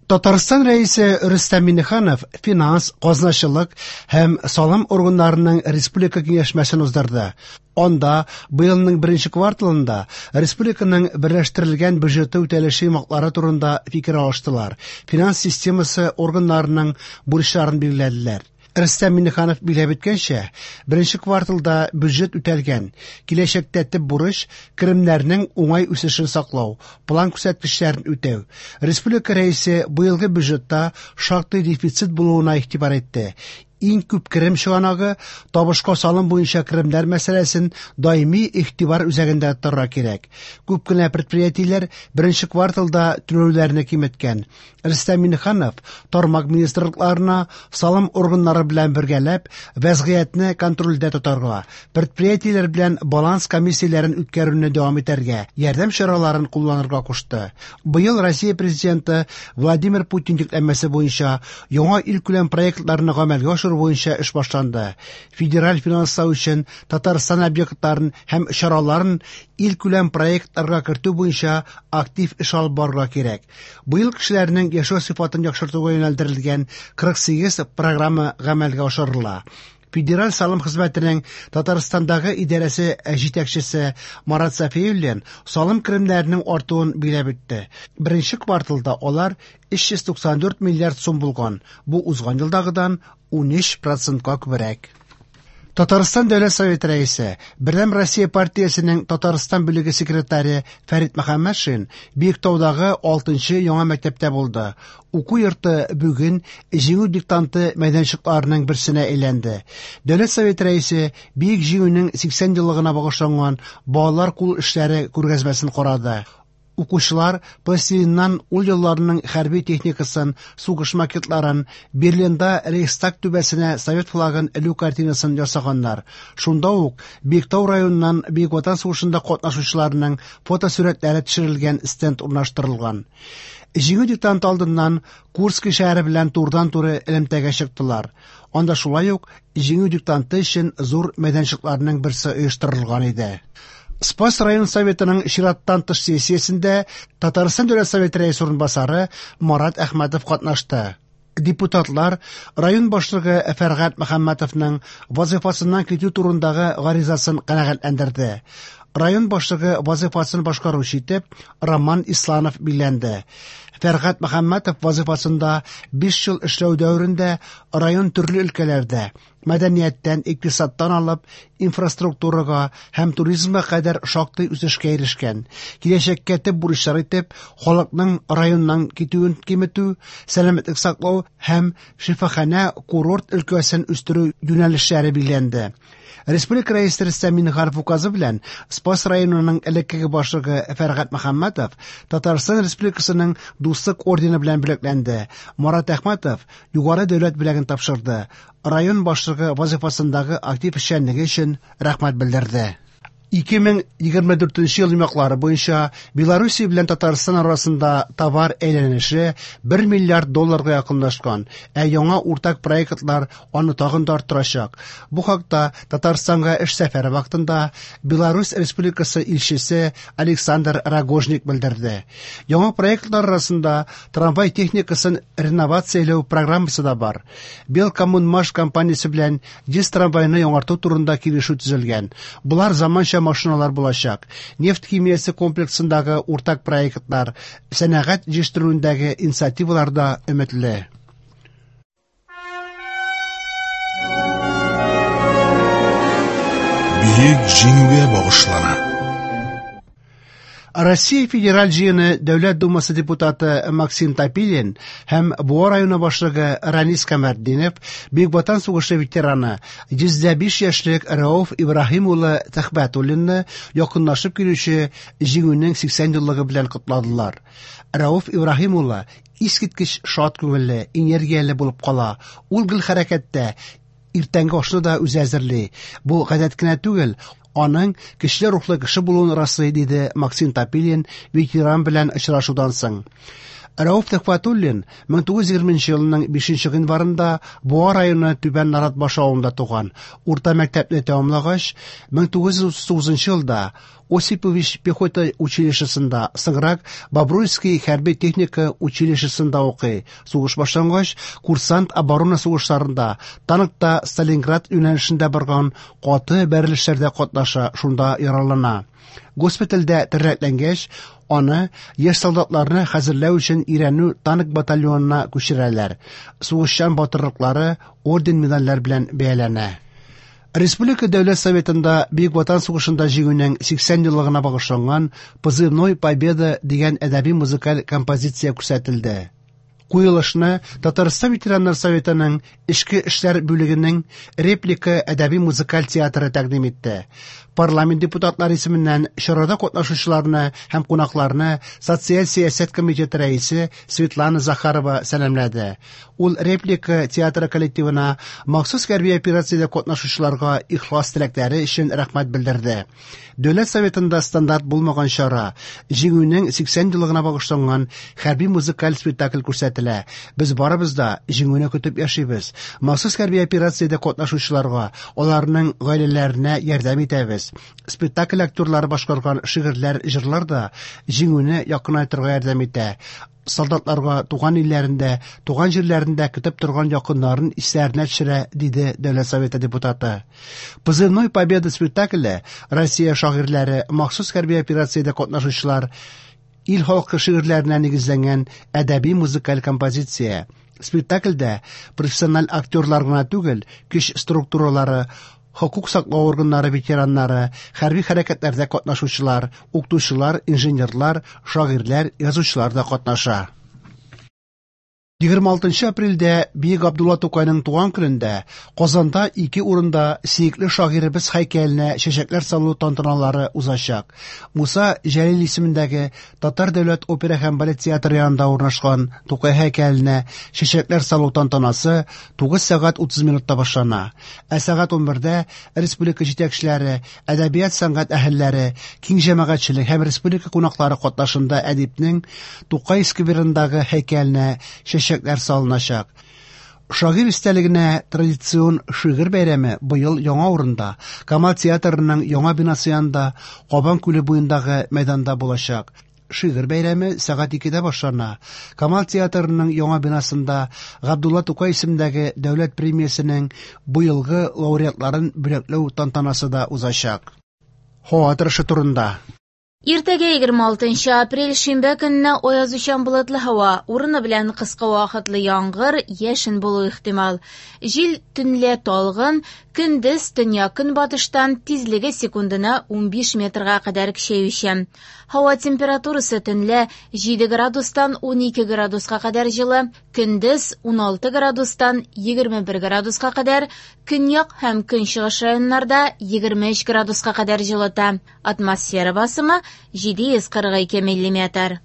Татарстан Рәисе Рөстәм Миңнеханов финанс, казначылык һәм салым органнарының республика киңәшмәсен уздырды. Анда быелның беренче кварталында республиканың берләштерелгән бюджеты үтәлеше йомгаклары турында фикер алыштылар, финанс системасы органнарының бурычларын билгеләделәр. Рөстәм Миңнеханов билгеләп үткәнчә, беренче кварталда бюджет үтәлгән. Киләчәктә төп бурыч керемнәрнең уңай үсешен саклау, план күрсәткечләрен үтәү. Республика Рәисе быелгы бюджетта шактый дефицит булуына игътибар итте. Иң күп керем чыганагы табышка салым буенча керемнәр мәсьәләсен даими игътибар үзәгендә тотарга кирәк. Күп кенә предприятиеләр беренче кварталда түләүләрне киметкән. Рөстәм Миңнеханов тармак министрлыкларына салым органнары белән бергәләп вәзгыятьне контрольдә тотарга, предприятиеләр белән баланс комиссияләрен үткәрүне дәвам итәргә, ярдәм чараларын кулланырга кушты. Быел Россия Президенты Владимир Путин йөкләмәсе буенча яңа илкүләм проектларны гамәлгә ашыру буенча эш башланды. Федераль финанслау өчен Татарстан объектларын һәм чараларын илкүләм проектларга кертү буенча актив эш алып барырга кирәк. Быел кешеләрнең яшәү сыйфатын яхшыртуга юнәлдерелгән 48 программа гамәлгә ашырыла. Федераль салым хезмәтенең Татарстандагы идарәсе җитәкчесе Марат Сафиуллин салым керемнәренең артуын билгеләп үтте. Беренче кварталда алар 394 миллиард сум булган. Бу узган елдагыдан 13%-ка күбрәк. Татарстан Дәүләт Советы рәисе, Бердәм Россия партиясенең Татарстан бүлеге секретаре Фәрит Мөхәммәтшин Биектаудагы 6-нчы яңа мәктәптә булды. Уку йорты бүген Җиңү диктанты мәйданчыкларының берсенә әйләнде. Дәүләт Советы рәисе Бөек Җиңүнең 80 еллыгына багышланган балалар кул эшләре күргәзмәсен карады. Укучылар пластилиннан ул елларның хәрби техникасын, сугыш макетларын, Берлинда Рейхстаг түбәсенә совет флагын элү картинасын ясаганнар. Шунда ук Биектау районыннан Бөек Ватан сугышында катнашучыларның фотосурәтләре төшерелгән стенд урнаштырылган. Җиңү диктанты алдыннан Курский шәһәре белән турыдан-туры элемтәгә чыктылар. Анда шулай ук Җиңү диктанты өчен зур мәйданчыкларның берсе оештырылган иде. Спас район советының чираттан тыш сессиясендә Татарстан Дәүләт Советы рәисе урынбасары Марат Әхмәтов катнашты. Депутатлар район башлыгы Фәргать Мөхәммәтовның вазифасыннан китү турындагы гаризасын канәгатьләндерде. Район башлыгы вазифасын башкаручы итеп Роман Исланов билгеләнде. Фәргать Мөхәммәтов вазифасында 5 ел эшләү дәверендә район төрле өлкәләрдә мәдәнияттән, икътисадтан алып инфраструктурага һәм туризмга кадәр шактый үсешкә ирешкән. Киләчәккә төп бурычлар итеп халыкның районнан китүен киметү, сәламәтлек саклау һәм шифаханә курорт өлкәсен үстерү юнәлешләре билгеләнде. Республика Рәисе Рөстәм Миңнеханов указы белән Спас районының элеккеге башлыгы Фәргать Мөхәммәтов Татарстан Республикасының Дуслык ордены белән бүләкләнде. Марат Әхмәтов югары дәүләт бүләген тапшырды. Район башлыгы вазифасындагы актив эшчәнлеге өчен рәхмәт белдерде. 2024 ел йомгаклары буенча Белоруссия белән Татарстан арасында товар әйләнеше 1 миллиард долларга якынлашкан, ә яңа уртак проектлар аны тагын да арттырачак. Бу хакта Татарстанга эш сәфәре вакытында Беларусь Республикасы илчесе Александр Рогожник белдерде. Яңа проектлар арасында трамвай техникасын реновацияләү программасы да бар. Белкоммунмаш компаниясе белән 100 трамвайны яңарту турында килешү төзелгән. Болар заманча машиналар булачак. Нефть химиясе комплексындагы уртак проектлар, сәнәгать җитештерүендәге инициативалар да өметле. Бөек Җиңүгә багышлана. Россия Федераль җыены Дәүләт Думасы депутаты Максим Топилин һәм Буа районы башлыгы Ранис Камәртдинов Бөек Ватан сугышы ветераны 105 яшьлек Рәүф Ибраһим улы Төхбәтуллинны якынлашып килүче Җиңүнең 80 еллыгы белән котладылар. Рәүф Ибраһим улы искиткеч шат күңелле, энергияле булып кала. Ул гел хәрәкәттә, иртәнге ашны да үзе әзерли. Бу гадәт кенә түгел, аның көчле рухлы кеше булуын раслый, диде Максим Топилин ветеран белән очрашудан соң. Рәүф Төхвәтуллин 1920 елның 5 гыйнварында Буа районы Түбән Наратбаш авылында туган. Урта мәктәпне тәмамлагач, 1939 елда Осипович пехота училищесында, соңрак Бобруйский хәрби техника училищесында укый. Сугыш башлангач, курсант оборона сугышларында, танкта Сталинград юнәлешендә барган каты бәрелешләрдә катнаша, шунда яралана. Госпитальдә тернәкләнгәч, аны яшь солдатларны хәзерләү өчен өйрәнү танк батальонына күчерәләр. Сугышчан батырлыклары орден-медальләр белән бәяләнә. Республика Дәүләт Советында Бөек Ватан сугышында җиңүнең 80 еллыгына багышланган «Позывной Победа» дигән әдәби-музыкаль композиция күрсәтелде. Куелышны Татарстан ветераннар советының Эчке эшләр бүлегенең Реплика әдәби-музыкаль театры тәкъдим итте. Парламент депутатлары исеменнән чарада катнашучыларны һәм кунакларны Социаль сәясәт комитеты рәисе Светлана Захарова сәламләде. Ул Реплика театры коллективына махсус хәрби операциядә катнашучыларга ихлас теләкләре өчен рәхмәт белдерде. Дәүләт Советында стандарт булмаган чара, Җиңүнең 80 еллыгына багышланган хәрби музыкаль спектакль күрсәтелә. Без барыбыз да җиңүне көтеп яшибез. Махсус хәрби операциядә катнашучыларга, аларның гаиләләренә ярдәм итәбез. Спектакль актерлары башкарган шигырьләр, җырлар да җиңүне якынайтырга ярдәм итә. Солдатларга туган илләрендә, туган җирләрендә көтеп торган якыннарын исләренә төшерә, диде Дәүләт Советы депутаты. Позывной Победа спектакле Россия шагыйрьләре, махсус хәрби операциядә катнашучылар, ил халкы шигырьләренә нигезләнгән әдәби музыкаль композиция. Спектакльдә профессиональ актерлар гына түгел, көч структуралары, хокук саклау органнары ветераннары, хәрби хәрәкәтләрдә катнашучылар, укытучылар, инженерлар, шагыйрьләр, язучылар да катнаша. 26 апрельдә Бөек Габдулла Тукайның туган көнендә Казанда ике урында сөекле шагыйребез һәйкәленә чәчәкләр салу тантаналары узачак. Муса Җәлил исемендәге Татар дәүләт опера һәм балет театры янында урнашкан Тукай һәйкәленә чәчәкләр салу тантанасы 9 сәгать 30 минутта башлана. Ә сәгать 11-дә республика җитәкчеләре, әдәбият сәнгать әһелләре, киң җәмәгатьчелек һәм республика кунаклары катнашында әдипнең Тукай скверындагы һәйкәленә чәчәкләр салыначак. Шагыйрь истәлегенә традицион шигырь бәйрәме быел яңа урында, Камал театрының яңа бинасы янында, Кабан күле буендагы мәйданда булачак. Шигырь бәйрәме сәгать 2-дә башлана. Камал театрының яңа бинасында Габдулла Тукай исемендәге дәүләт премиясенең быелгы лауреатларын бүләкләү тантанасы да узачак. Һава торышы турында. Иртәгә 26 апрель шимбә көнне аязучан болытлы һава, урыны белән кыска вакытлы яңгыр, яшен булу ихтимал. Җил төнлә талгын, көндез төньяк-көнбатыштан тизлеге секундына 15 метрга кадәр көчәючән. Һава температурасы төнлә 7 градустан 12 градуска кадәр җылы, көндез 16 градустан 21 градуска кадәр, көньяк һәм көнчыгыш районнарда 23 градуска кадәр җылыта. Атмосфера басымы 742 миллиметр.